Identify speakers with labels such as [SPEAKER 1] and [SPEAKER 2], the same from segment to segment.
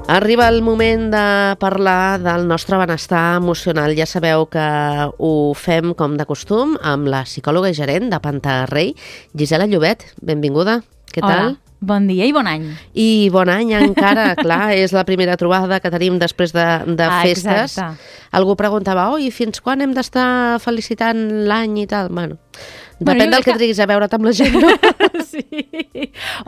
[SPEAKER 1] Arriba el moment de parlar del nostre benestar emocional. Ja sabeu que ho fem com de costum amb la psicòloga i gerent de Pantarrey, Gisela Llobet. Benvinguda. Què tal?
[SPEAKER 2] Hola. Bon dia i bon any.
[SPEAKER 1] I bon any encara, clar, és la primera trobada que tenim després de festes.
[SPEAKER 2] Exacte.
[SPEAKER 1] Algú preguntava, i fins quan hem d'estar felicitant l'any i tal? Bueno, depèn del que triguis a veure't amb la gent, no?
[SPEAKER 2] Sí.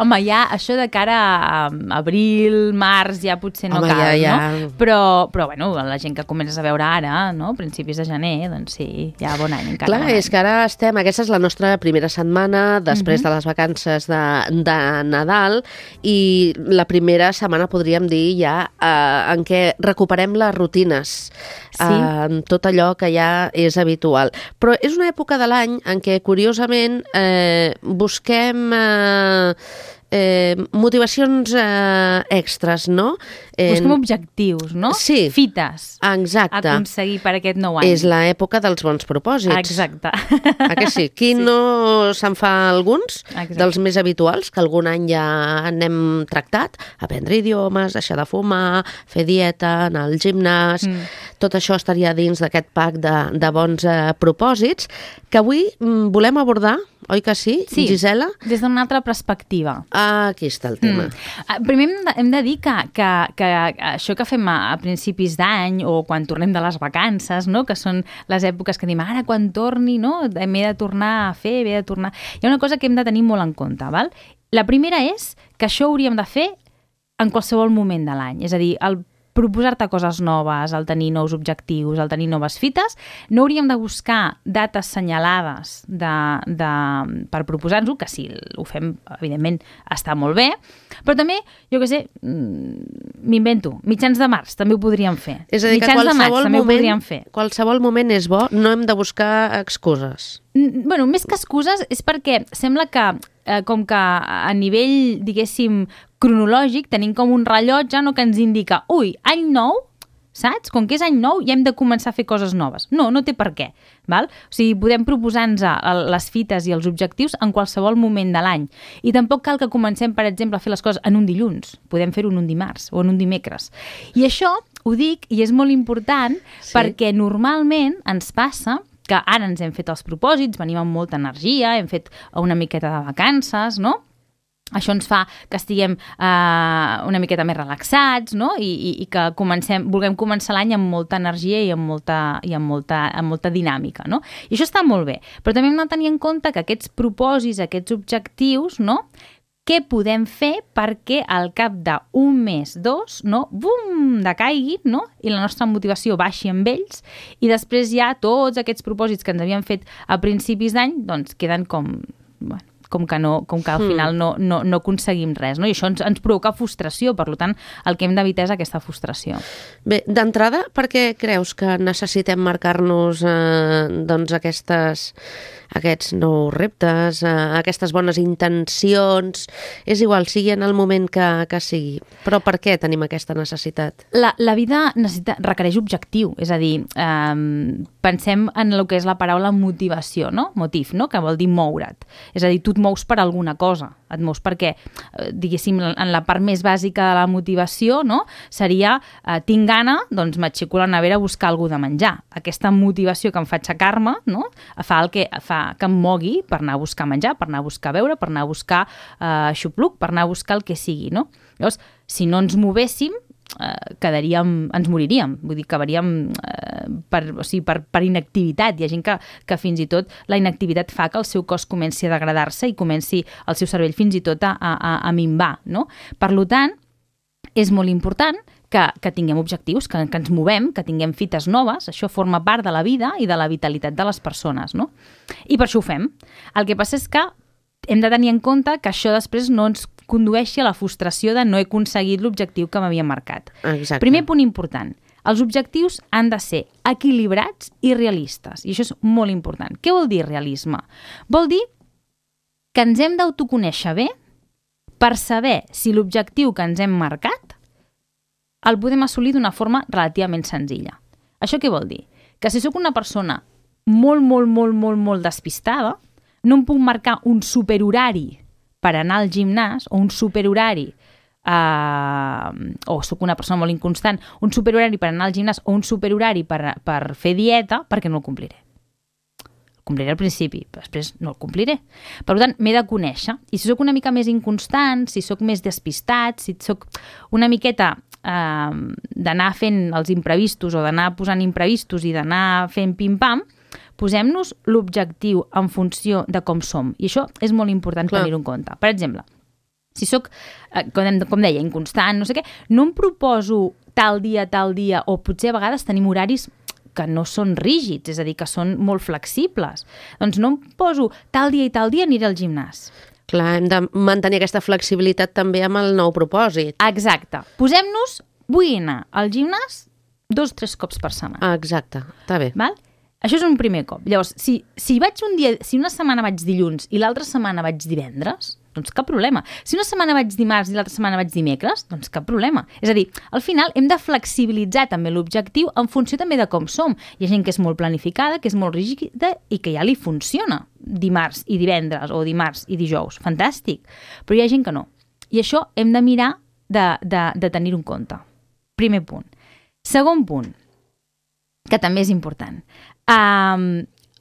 [SPEAKER 2] Home, ja això de cara a abril, març, ja potser no cal, no? Però bueno, la gent que comences a veure ara, no? Principis de gener, doncs sí, ja bon any encara.
[SPEAKER 1] Clar, és que ara estem, aquesta és la nostra primera setmana després de les vacances de Nadal i la primera setmana podríem dir ja en què recuperem les rutines, tot allò que ja és habitual. Però és una època de l'any en què, curiosament, busquem motivacions extres, no?
[SPEAKER 2] Busquem objectius, no?
[SPEAKER 1] Sí.
[SPEAKER 2] Fites.
[SPEAKER 1] Exacte.
[SPEAKER 2] A aconseguir per aquest nou any.
[SPEAKER 1] És l'època dels bons propòsits.
[SPEAKER 2] Exacte.
[SPEAKER 1] Que sí? Qui no se'n fa alguns, dels més habituals, que algun any ja n'hem tractat, aprendre idiomes, deixar de fumar, fer dieta, anar al gimnàs, tot això estaria dins d'aquest pack de bons propòsits, que avui volem abordar, oi que sí, Gisela?
[SPEAKER 2] Des d'una altra perspectiva.
[SPEAKER 1] Aquí està el tema.
[SPEAKER 2] Primer hem de dir que això que fem a principis d'any o quan tornem de les vacances, no? Que són les èpoques que diem, ara quan torni, no? M'he de tornar a fer, m'he de tornar... Hi ha una cosa que hem de tenir molt en compte, val? La primera és que això hauríem de fer en qualsevol moment de l'any. És a dir, el proposar-te coses noves, el tenir nous objectius, el tenir noves fites, no hauríem de buscar dates senyalades per proposar-nos-ho, que si ho fem, evidentment, està molt bé, però també, jo què sé, m'invento, mitjans de març també ho podríem fer.
[SPEAKER 1] És a dir, que qualsevol moment és bo, no hem de buscar excuses.
[SPEAKER 2] Bueno, més que excuses és perquè sembla que com que a nivell, diguéssim, cronològic tenim com un rellotge, no, que ens indica, any nou, saps? Com que és any nou ja hem de començar a fer coses noves. No, no té per què, val? O sigui, podem proposar-nos les fites i els objectius en qualsevol moment de l'any. I tampoc cal que comencem, per exemple, a fer les coses en un dilluns. Podem fer-ho en un dimarts o en un dimecres. I això ho dic i és molt important perquè normalment ens passa que ara ens hem fet els propòsits, venim amb molta energia, hem fet una miqueta de vacances, no? Això ens fa que estiguem una miqueta més relaxats, no? I que vulguem començar l'any amb molta energia i amb molta dinàmica, no? I això està molt bé, però també hem de tenir en compte que aquests propòsits, aquests objectius, no? Què podem fer perquè al cap d'un mes, dos, no? Bum, decaiguin, no? I la nostra motivació baixi amb ells i després ja tots aquests propòsits que ens havíem fet a principis d'any doncs queden com que al final no aconseguim res, no? I això ens provoca frustració, per tant, el que hem d'evitar és aquesta frustració.
[SPEAKER 1] Bé, d'entrada, per què creus que necessitem marcar-nos doncs aquests nous reptes, aquestes bones intencions? És igual, sigui en el moment que sigui, però per què tenim aquesta necessitat?
[SPEAKER 2] La vida requereix objectiu, és a dir, pensem en el que és la paraula motivació, no? Motiv, no? Que vol dir moure't. És a dir, tu et mous per alguna cosa, et mous perquè, diguéssim, en la part més bàsica de la motivació, no? Seria, tinc gana, doncs m'aixeco a la nevera a buscar alguna de menjar. Aquesta motivació que em fa aixecar-me, no? Fa que em mogui per anar a buscar menjar, per anar a buscar beure, per anar a buscar xupluc, per anar a buscar el que sigui, no? Llavors, si no ens movéssim, ens moriríem, vull dir, acabaríem per inactivitat. Hi ha gent que fins i tot la inactivitat fa que el seu cos comenci a degradar-se i comenci el seu cervell fins i tot a minvar, no? Per tant, és molt important que tinguem objectius, que ens movem, que tinguem fites noves. Això forma part de la vida i de la vitalitat de les persones, no? I per això ho fem. El que passa és que hem de tenir en compte que això després no ens condueixi a la frustració de no he aconseguit l'objectiu que m'havia marcat.
[SPEAKER 1] Exacte.
[SPEAKER 2] Primer punt important, els objectius han de ser equilibrats i realistes, i això és molt important. Què vol dir realisme? Vol dir que ens hem d'autoconèixer bé per saber si l'objectiu que ens hem marcat el podem assolir d'una forma relativament senzilla. Això què vol dir? Que si sóc una persona molt despistada, no em puc marcar un superhorari per anar al gimnàs o un superhorari o sóc una persona molt inconstant, un superhorari per anar al gimnàs o un superhorari per fer dieta, perquè no el compliré. El compliré al principi, però després no el compliré. Per tant, m'he de conèixer. I si sóc una mica més inconstant, si sóc més despistat, si sóc una miqueta d'anar fent els imprevistos o d'anar posant imprevistos i d'anar fent pim-pam, posem-nos l'objectiu en funció de com som. I això és molt important tenir-ho en compte. Per exemple, si sóc, com deia, inconstant, no sé què, no em proposo tal dia, o potser a vegades tenim horaris que no són rígids, és a dir, que són molt flexibles. Doncs no em poso tal dia i tal dia aniré al gimnàs.
[SPEAKER 1] Clar, hem de mantenir aquesta flexibilitat també amb el nou propòsit.
[SPEAKER 2] Exacte. Posem-nos, vull anar al gimnàs 2-3 cops per setmana.
[SPEAKER 1] Exacte, està bé.
[SPEAKER 2] Val? Això és un primer cop. Llavors, si una setmana vaig dilluns i l'altra setmana vaig divendres, doncs cap problema. Si una setmana vaig dimarts i l'altra setmana vaig dimecres, doncs cap problema. És a dir, al final hem de flexibilitzar també l'objectiu en funció també de com som. Hi ha gent que és molt planificada, que és molt rígida i que ja li funciona dimarts i divendres o dimarts i dijous. Fantàstic. Però hi ha gent que no. I això hem de mirar de tenir-ho en compte. Primer punt. Segon punt, que també és important.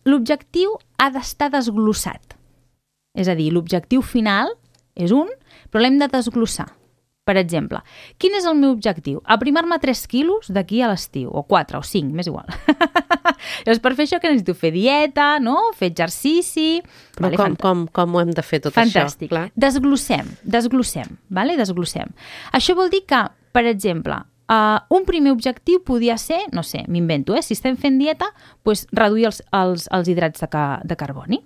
[SPEAKER 2] L'objectiu ha d'estar desglossat. És a dir, l'objectiu final és un, però l'hem de desglossar. Per exemple, quin és el meu objectiu? Aprimar-me 3 quilos d'aquí a l'estiu, o 4 o 5, m'és igual. Llavors, per fer això que necessito fer dieta, no? Fer exercici...
[SPEAKER 1] Però com ho hem de fer tot
[SPEAKER 2] Fantàstic.
[SPEAKER 1] això?
[SPEAKER 2] Fantàstic. Desglossem. Desglossem. Això vol dir que, per exemple, un primer objectiu podia ser, no sé, m'invento, si estem fent dieta, doncs reduir els hidrats de carboni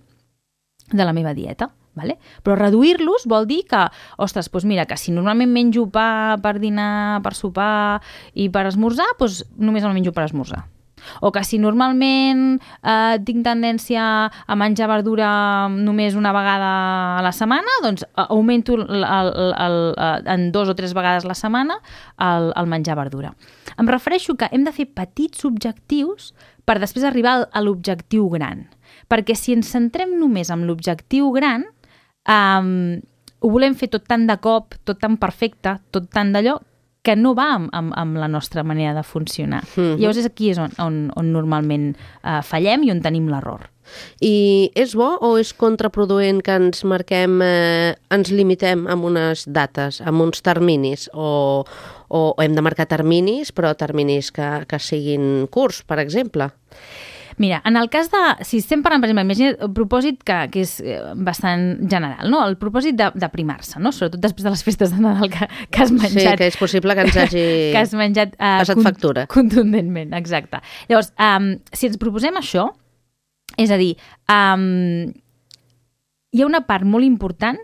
[SPEAKER 2] de la meva dieta. Vale? Però reduir-los vol dir que, ostres, doncs mira, que si normalment menjo pa per dinar, per sopar i per esmorzar, doncs només el menjo per esmorzar. O que si normalment tinc tendència a menjar verdura només una vegada a la setmana, doncs augmento en 2 o 3 vegades a la setmana el menjar verdura. Em refereixo que hem de fer petits objectius per després arribar a l'objectiu gran. Perquè si ens centrem només en l'objectiu gran, ho volem fer tot tan de cop, tot tan perfecte, tot tan d'allò, que no va amb la nostra manera de funcionar. Llavors aquí és on normalment fallem i on tenim l'error.
[SPEAKER 1] I és bo o és contraproduent que ens marquem, ens limitem amb unes dates, amb uns terminis, o hem de marcar terminis, però terminis que siguin curts, per exemple?
[SPEAKER 2] Mira, en el cas de... Si estem parlant, per exemple, imagina't el propòsit que és bastant general, no? El propòsit d'aprimar-se, no? Sobretot després de les festes de Nadal que has menjat...
[SPEAKER 1] Sí, que és possible que ens hagi
[SPEAKER 2] que has menjat,
[SPEAKER 1] passat factura.
[SPEAKER 2] Contundentment, exacte. Llavors, si ens proposem això, és a dir, hi ha una part molt important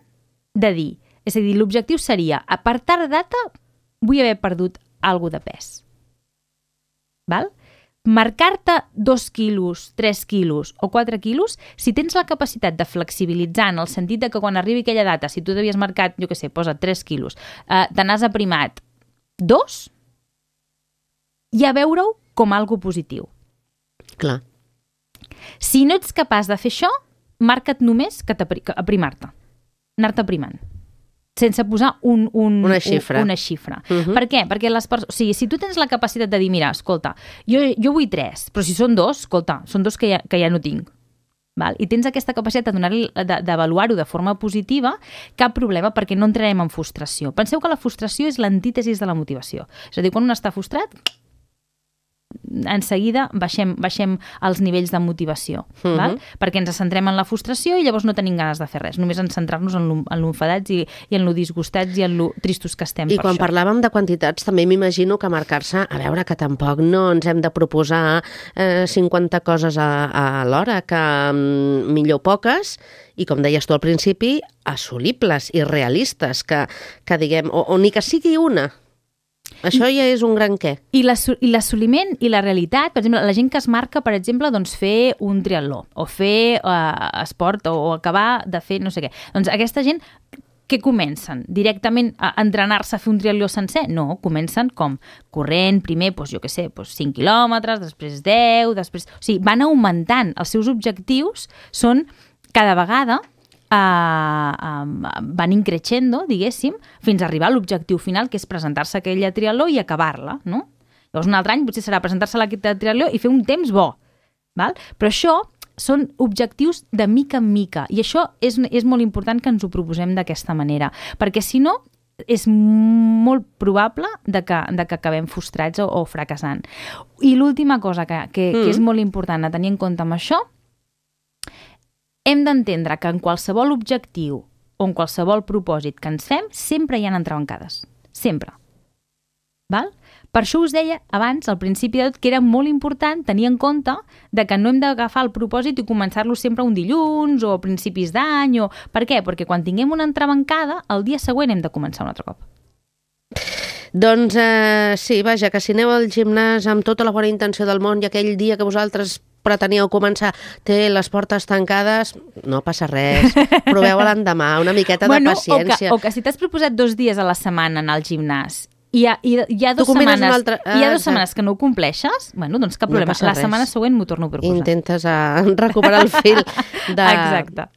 [SPEAKER 2] de dir, és a dir, l'objectiu seria, a per tal data vull haver perdut alguna de pes. Val? Marcar-te 2 quilos, 3 quilos o 4 quilos, si tens la capacitat de flexibilitzar en el sentit de que quan arribi aquella data, si tu t'havies marcat, jo què sé, posa 3 quilos, te n'has aprimat 2, ja veure-ho com algo positiu.
[SPEAKER 1] Clar.
[SPEAKER 2] Si no ets capaç de fer això, marca't només que aprimar-te, anar-te aprimant, sense posar una xifra. Per què? Perquè si tu tens la capacitat de dir, mira, escolta, jo vull 3, però si són 2, escolta, són 2 que ja no tinc. Val? I tens aquesta capacitat d'avaluar-ho de forma positiva, cap problema, perquè no entrarem en frustració. Penseu que la frustració és l'antítesis de la motivació. És a dir, quan un està frustrat, en seguida baixem els nivells de motivació, val? Perquè ens centrem en la frustració i llavors no tenim ganes de fer res, només en centrar-nos en lo enfadats i en lo disgustats i en lo tristos que estem per això.
[SPEAKER 1] I quan parlàvem de quantitats també m'imagino que marcar-se, a veure, que tampoc no ens hem de proposar 50 coses a l'hora, que millor poques i, com deies tu al principi, assolibles i realistes, que diguem, o ni que sigui una. Això ja és un gran què.
[SPEAKER 2] I l'assoliment i la realitat, per exemple, la gent que es marca, per exemple, doncs fer un triatló o fer esport o acabar de fer no sé què. Doncs aquesta gent, què comencen? Directament a entrenar-se a fer un triatló sencer? No, comencen com? Corrent, primer, doncs, jo què sé, doncs 5 quilòmetres, després 10, després... O sigui, van augmentant. Els seus objectius són cada vegada van increixendo, diguéssim, fins a arribar a l'objectiu final, que és presentar-se a aquella triatló i acabar-la, no? Llavors un altre any potser serà presentar-se a la triatló i fer un temps bo, val? Però això són objectius de mica en mica i això és molt important que ens ho proposem d'aquesta manera, perquè si no és molt probable que acabem frustrats o fracassant. I l'última cosa que és molt important a tenir en compte amb això, hem d'entendre que en qualsevol objectiu o en qualsevol propòsit que ens fem, sempre hi ha entrebancades. Sempre. Val? Per això us deia abans, al principi de tot, que era molt important tenir en compte de que no hem d'agafar el propòsit i començar-lo sempre un dilluns o a principis d'any. Per què? Perquè quan tinguem una entrebancada, el dia següent hem de començar un altre cop.
[SPEAKER 1] Doncs sí, vaja, que si aneu al gimnàs amb tota la bona intenció del món i aquell dia que vosaltres preteníeu començar té les portes tancades, no passa res. Proveu l'endemà, una miqueta de paciència.
[SPEAKER 2] O que si t'has proposat 2 dies a la setmana anar al gimnàs i hi ha 2 setmanes que no ho compleixes, bueno, doncs cap problema. La setmana següent m'ho torno a proposar.
[SPEAKER 1] Intentes recuperar el fil de...
[SPEAKER 2] Exacte.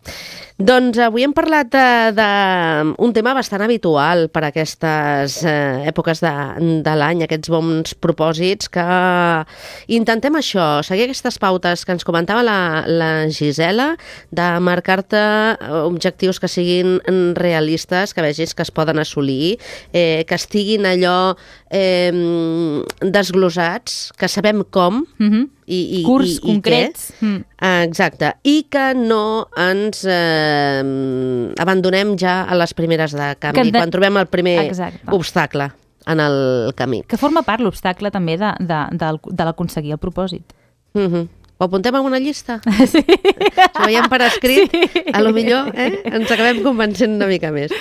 [SPEAKER 1] Doncs avui hem parlat d'un tema bastant habitual per a aquestes èpoques de l'any, aquests bons propòsits, que intentem això, seguir aquestes pautes que ens comentava la Gisela, de marcar-te objectius que siguin realistes, que vegis que es poden assolir, que estiguin allò desglosats, que sabem com,
[SPEAKER 2] curs concrets.
[SPEAKER 1] Exacte. I que no ens abandonem ja a les primeres de canvi, quan trobem el primer obstacle en el camí.
[SPEAKER 2] Que forma part l'obstacle també de l'aconseguir el propòsit.
[SPEAKER 1] Ho apuntem a una llista? Sí. Si ho veiem per escrit, a lo millor ens acabem convencent una mica més.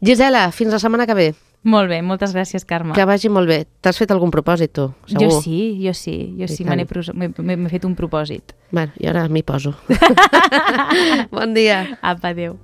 [SPEAKER 1] Gisela, fins la setmana que ve.
[SPEAKER 2] Molt bé, moltes gràcies, Carme.
[SPEAKER 1] Que vagi molt bé. T'has fet algun propòsit, tu? Segur?
[SPEAKER 2] Jo sí. M'he fet un propòsit.
[SPEAKER 1] Bueno, i ara m'hi poso. Bon dia.
[SPEAKER 2] Apa, adéu.